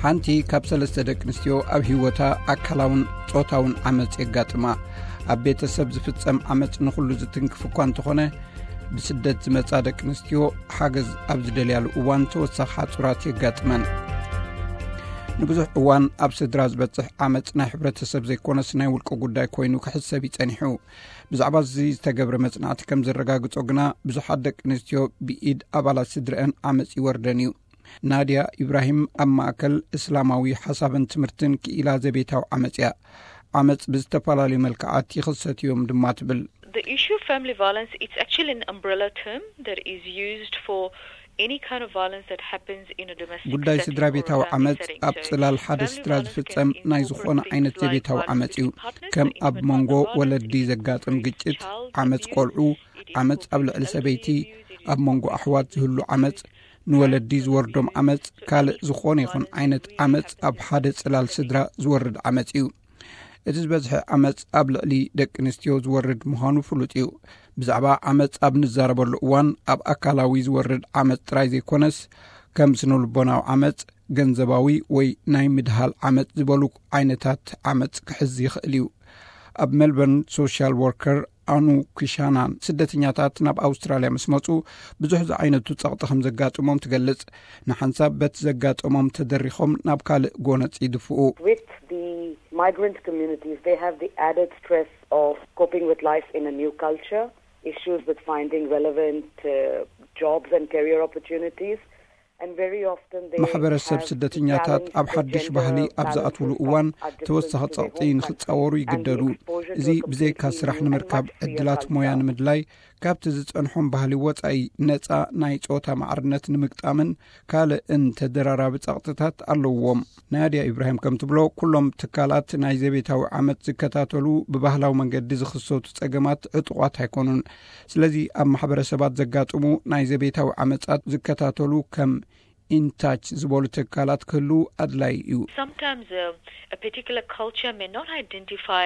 ሓንቲ ካብ ሰለስተ ደቂ ኣንስትዮ ኣብ ህይወታ ኣካላውን ጾታውን ዓመጽ የጋጥማ። ኣብ ቤተሰብ ዝፍጸም ዓመጽ ንኹሉ ዝትንክፍ እኳ እንተኾነ፣ ብስደት ዝመጻ ደቂ ኣንስትዮ ሓገዝ ኣብ ዝደልያሉ እዋን ተወሳኺ ሓጹራት የጋጥመን። ንብዙሕ እዋን ኣብ ስድራ ዝበጽሕ ዓመጽ ናይ ሕብረተሰብ ዘይኮነስ ናይ ውልቂ ጉዳይ ኮይኑ ክሕሰብ ይጸኒሑ። ብዛዕባ እዚ ዝተገብረ መጽናዕቲ ከም ዘረጋግጾ ግና፣ ብዙሓት ደቂ ኣንስትዮ ብኢድ ኣባላት ስድረአን ዓመጽ ይወርደን እዩ። ናድያ ኢብራሂም ኣብ ማእከል እስላማዊ ሓሳብን ትምህርትን ክኢላ ዘቤታዊ ዓመጽ እያ። ዓመጽ ብዝተፈላለዩ መልክዓት ይኽሰት እዮም ድማ ትብል። The issue of family violence, it's actually an umbrella term that is used for any kind of violence that happens in a domestic ጉዳይ setting ስድራ or a ቤታዊ family ዓመጽ setting. ኣብ So ጽላል ሓደ family ስድራ violence ዝፍጸም can ናይ incorporate ዝኾነ things ዓይነት like ዘቤታዊ violence ዓመጽ እዩ። between partners, ከም so ኣብ intimate መንጎ partner violence, ወለዲ it ዘጋጥም incorporates ግጭት፣ child ዓመጽ abuse, ቆልዑ፣ it ዓመጽ ኣብ ልዕሊ incorporates ሰበይቲ፣ elderly ኣብ መንጎ abuse, ኣሕዋት ዝህሉ ዓመጽ፣ ንወለዲ ዝወርዶም ዓመጽ፣ ካልእ ዝኾነ ይኹን ዓይነት ዓመጽ ኣብ ሓደ ጽላል ስድራ ዝወርድ ዓመጽ እዩ። እቲ ዝበዝሐ ዓመጽ ኣብ ልዕሊ ደቂ ኣንስትዮ ዝወርድ ምዃኑ ፍሉጥ እዩ። ብዛዕባ ዓመጽ ኣብ ንዛረበሉ እዋን፣ ኣብ ኣካላዊ ዝወርድ ዓመጽ ጥራይ ዘይኮነስ፣ ከም ስነ-ልቦናዊ ዓመጽ፣ ገንዘባዊ ወይ ናይ ምድሃል ዓመጽ ዝበሉ ዓይነታት ዓመጽ ክሕዝ ይኽእል እዩ። ኣብ ሜልበርን ሶሻል ወርከር ኣኑ ኪሻናን፣ ስደተኛታት ናብ ኣውስትራልያ ምስ መጹ ብዙሕ ዝዓይነቱ ጸቕጢ ከም ዘጋጥሞም ትገልጽ። ንሓንሳብ በቲ ዘጋጠሞም ተደሪኾም ናብ ካልእ ጎነጽ ይድፍኡ። With the migrant communities, they have the added stress of coping with life in a new culture, issues with finding relevant uh, jobs and career opportunities. And very often they ማሕበረሰብ have ስደተኛታት challenge ኣብ ሓድሽ ባህሊ ኣብ ዝኣትውሉ እዋን ተወሳኺ ጸቕጢ ንኽጻወሩ ይግደዱ። እዚ ብዘይካ ስራሕ ንምርካብ ዕድላት ሞያ ንምድላይ፣ ካብቲ ዝጸንሖም ባህሊ ወጻኢ ነጻ ናይ ጾታ ማዕርነት ንምግጣምን ካልእን ተደራራቢ ጸቕጥታት ኣለውዎም። ናድያ ኢብራሂም ከም ትብሎ፣ ኩሎም ትካላት ናይ ዘቤታዊ ዓመጽ ዝከታተሉ ብባህላዊ መንገዲ ዝኽሰቱ ጸገማት ዕጡቓት ኣይኮኑን። ስለዚ ኣብ ማሕበረሰባት ዘጋጥሙ ናይ ዘቤታዊ ዓመጻት ዝከታተሉ ከም ኢንታች ዝበሉ ትካላት ክህሉ ኣድላይ እዩ። Sometimes uh, a particular culture may not identify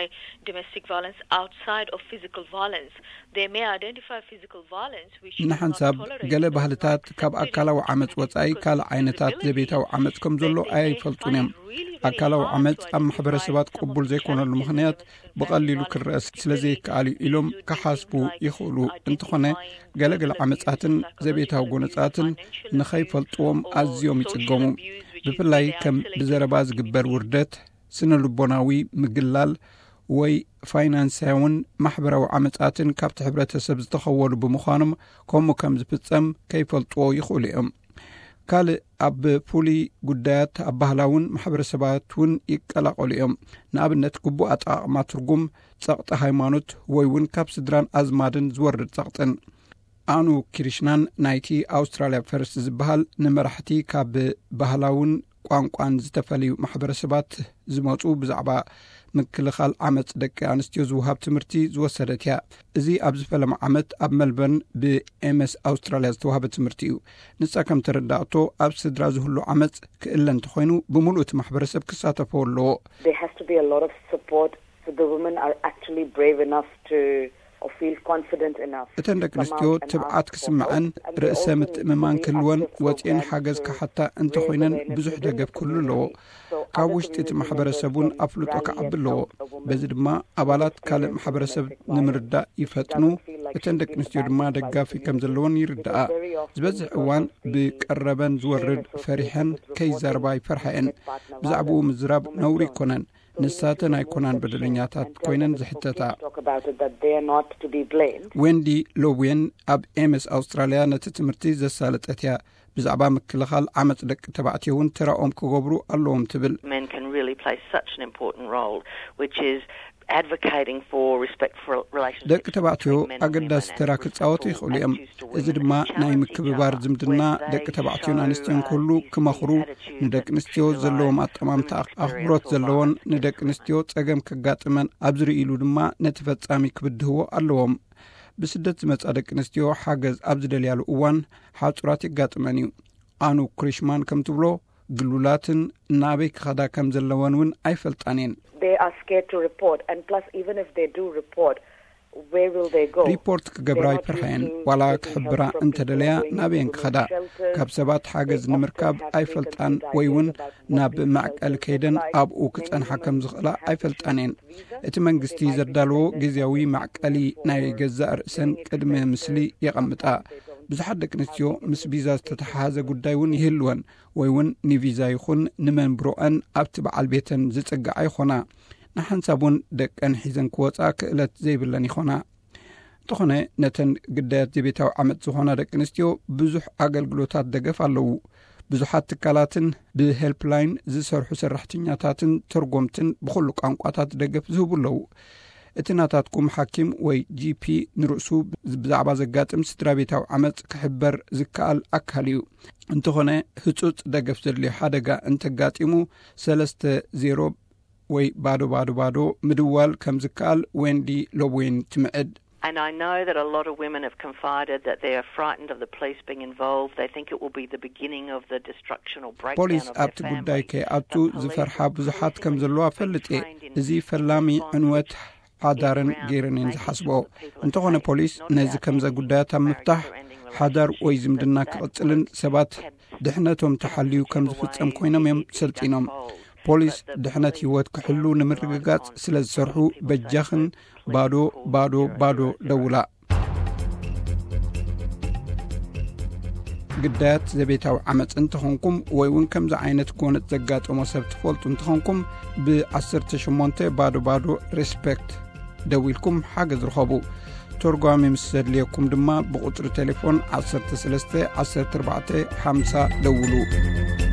domestic violence outside of physical violence. They may identify physical violence, which is not ንሓንሳብ tolerated ገለ by ባህልታት society ካብ ኣካላዊ ዓመጽ ወጻኢ ካልእ ዓይነታት ዘቤታዊ ዓመጽ ከም ዘሎ ኣይፈልጡን እዮም። ኣካላዊ ዓመጽ ኣብ ማሕበረሰባት ቅቡል ዘይኮነሉ ምኽንያት ብቐሊሉ ክረአ ስለ ዘይከኣል እዩ ኢሎም ክሓስቡ ይኽእሉ። እንተኾነ፣ ገለገለ ዓመጻትን ዘቤታዊ ጎነጻትን ንኸይፈልጥዎም ኣዝዮም ይጽገሙ። ብፍላይ ከም ብዘረባ ዝግበር ውርደት፣ ስነ ልቦናዊ ምግላል ወይ ፋይናንሳውን ማሕበራዊ ዓመጻትን ካብቲ ሕብረተሰብ ዝተኸወሉ ብምዃኖም፣ ከምኡ ከም ዝፍጸም ከይፈልጥዎ ይኽእሉ እዮም። ካልእ ኣብ ፍሉይ ጉዳያት ኣብ ባህላውን ማሕበረሰባት እውን ይቀላቐሉ እዮም። ንኣብነት፣ ግቡእ ኣጠቓቕማ ትርጉም፣ ጸቕጢ ሃይማኖት ወይ እውን ካብ ስድራን ኣዝማድን ዝወርድ ጸቕጥን። ኣኑ ኪርሽናን ናይቲ ኣውስትራልያ ፈርስት ዝበሃል ንመራሕቲ ካብ ባህላውን ቋንቋን ዝተፈለዩ ማሕበረሰባት ዝመጹ ብዛዕባ ምክልኻል ዓመጽ ደቂ ኣንስትዮ ዝወሃብ ትምህርቲ ዝወሰደት እያ። እዚ ኣብዚ ፈለማ ዓመት ኣብ መልበርን ብኤምኤስ ኣውስትራልያ ዝተዋህበ ትምህርቲ እዩ። ንሳ ከም ተረዳእቶ፣ ኣብ ስድራ ዝህሉ ዓመጽ ክእለ እንተኾይኑ፣ ብምሉእ እቲ ማሕበረሰብ ክሳተፎ ኣለዎ። There has to be a lot of support so the women are actually brave enough to or feel confident enough እተን ደቂ ኣንስትዮ ትብዓት ክስምዐን፣ ርእሰ ምትእምማን ክህልወን፣ ወጺኤን ሓገዝ ክሓታ እንተኾይነን ብዙሕ ደገፍ ክህሉ ኣለዎ። ካብ ውሽጢ እቲ ማሕበረሰብ እውን ኣፍልጦ ክዓቢ ኣለዎ። በዚ ድማ ኣባላት ካልእ ማሕበረሰብ ንምርዳእ ይፈጥኑ። እተን ደቂ ኣንስትዮ ድማ ደጋፊ ከም ዘለወን ይርዳኣ። ዝበዝሕ እዋን ብቀረበን ዝወርድ ፈሪሐን ከይዛረባ ይፈርሓ እየን። ብዛዕባኡ ምዝራብ ነውሪ ኣይኮነን። ንሳተን ኣይኮናን በደለኛታት ኮይነን ዝሕተታ። Talk about it, that they are not to be blamed. ዌንዲ ሎብዌን ኣብ ኤምኤስ ኣውስትራልያ ነቲ ትምህርቲ ዘሳለጠት እያ። ብዛዕባ ምክልኻል ዓመጽ ደቂ ተባዕትዮ እውን ተራኦም ክገብሩ ኣለዎም ትብል። Men can really play such an important role, which is advocating for respectful relationships ደቂ ተባዕትዮ between men and ኣገዳሲ women ተራ and ክጻወቱ restoring ይኽእሉ እዮም። Attitudes to እዚ women ድማ ናይ ምክብባር ዝምድና ደቂ ተባዕትዮን ኣንስትዮን ክህሉ ክመኽሩ፣ ንደቂ ኣንስትዮ ዘለዎም ኣጠማምታ ኣኽብሮት ዘለዎን ንደቂ ኣንስትዮ ጸገም ከጋጥመን ኣብ ዝርእይሉ ድማ ነቲ ፈጻሚ ክብድህዎ ኣለዎም። ብስደት ዝመጻ ደቂ ኣንስትዮ ሓገዝ ኣብ ዝደልያሉ እዋን ሓጹራት የጋጥመን እዩ። ኣኑ ክሪሽማን ከም ትብሎ፣ ግሉላትን ናበይ ክኸዳ ከም ዘለወን እውን ኣይፈልጣን እየን። They are scared to report, and plus, even if they do report, ሪፖርት ክገብራ ኣይፈርሐየን። ዋላ ክሕብራ እንተደለያ ናበየን ክኸዳ? ካብ ሰባት ሓገዝ ንምርካብ ኣይፈልጣን፣ ወይ እውን ናብ መዕቀሊ ከይደን ኣብኡ ክጸንሓ ከም ዝኽእላ ኣይፈልጣን እየን። እቲ መንግስቲ ዘዳለዎ ግዜያዊ መዕቀሊ ናይ ገዛእ ርእሰን ቅድሚ ምስሊ የቐምጣ። ብዙሓት ደቂ ኣንስትዮ ምስ ቪዛ ዝተተሓሓዘ ጉዳይ እውን ይህልወን፣ ወይ እውን ንቪዛ ይኹን ንመንብሮአን ኣብቲ በዓል ቤተን ዝጽግዓ ይኾና። ንሓንሳብ እውን ደቀን ሒዘን ክወጻ ክእለት ዘይብለን ይኾና። እንተኾነ፣ ነተን ግዳያት ዘቤታዊ ዓመጽ ዝኾና ደቂ ኣንስትዮ ብዙሕ ኣገልግሎታት ደገፍ ኣለዉ። ብዙሓት ትካላትን ብሄልፕላይን ዝሰርሑ ሰራሕተኛታትን ተርጎምትን ብኹሉ ቋንቋታት ደገፍ ዝህቡ ኣለዉ። እቲ ናታትኩም ሓኪም ወይ ጂ ፒ ንርእሱ ብዛዕባ ዘጋጥም ስድራ ቤታዊ ዓመጽ ክሕበር ዝከኣል ኣካል እዩ። እንተኾነ፣ ህጹጽ ደገፍ ዘድልዮ ሓደጋ እንተጋጢሙ፣ ሰለስተ ዜሮ ወይ ባዶ ባዶ ባዶ ምድዋል ከም ዝከኣል ዌንዲ ሎብዌን ትምዕድ። And I know that a lot of women have confided that they are frightened of the police being involved. They think it will be the beginning of the destruction or breakdown ፖሊስ of their ኣብቲ ጉዳይ family. ከይኣቱ ዝፈርሓ ብዙሓት ከም ዘለዋ ፈልጥ እየ። እዚ ፈላሚ ዕንወት ሓዳርን ገይረን እየን ዝሓስቦ። እንተኾነ፣ ፖሊስ ነዚ ከምዘ ጉዳያት ኣብ ምፍታሕ ሓዳር ወይ ዝምድና ክቕጽልን ሰባት ድሕነቶም ተሓልዩ ከም ዝፍጸም ኮይኖም እዮም ሰልጢኖም። ፖሊስ ድሕነት ህይወት ክሕሉ ንምርግጋጽ ስለ ዝሰርሑ፣ በጃኽን ባዶ ባዶ ባዶ ደውላ። ግዳያት ዘቤታዊ ዓመጽ እንተኾንኩም፣ ወይ እውን ከምዚ ዓይነት ጎነጽ ዘጋጠሞ ሰብ ትፈልጡ እንተኾንኩም፣ ብ18 ባዶ ባዶ ሬስፔክት ደዊልኩም ሓገዝ ርኸቡ። ተርጓሚ ምስ ዘድልየኩም ድማ ብቁጽሪ ቴሌፎን 13 14 50 ደውሉ።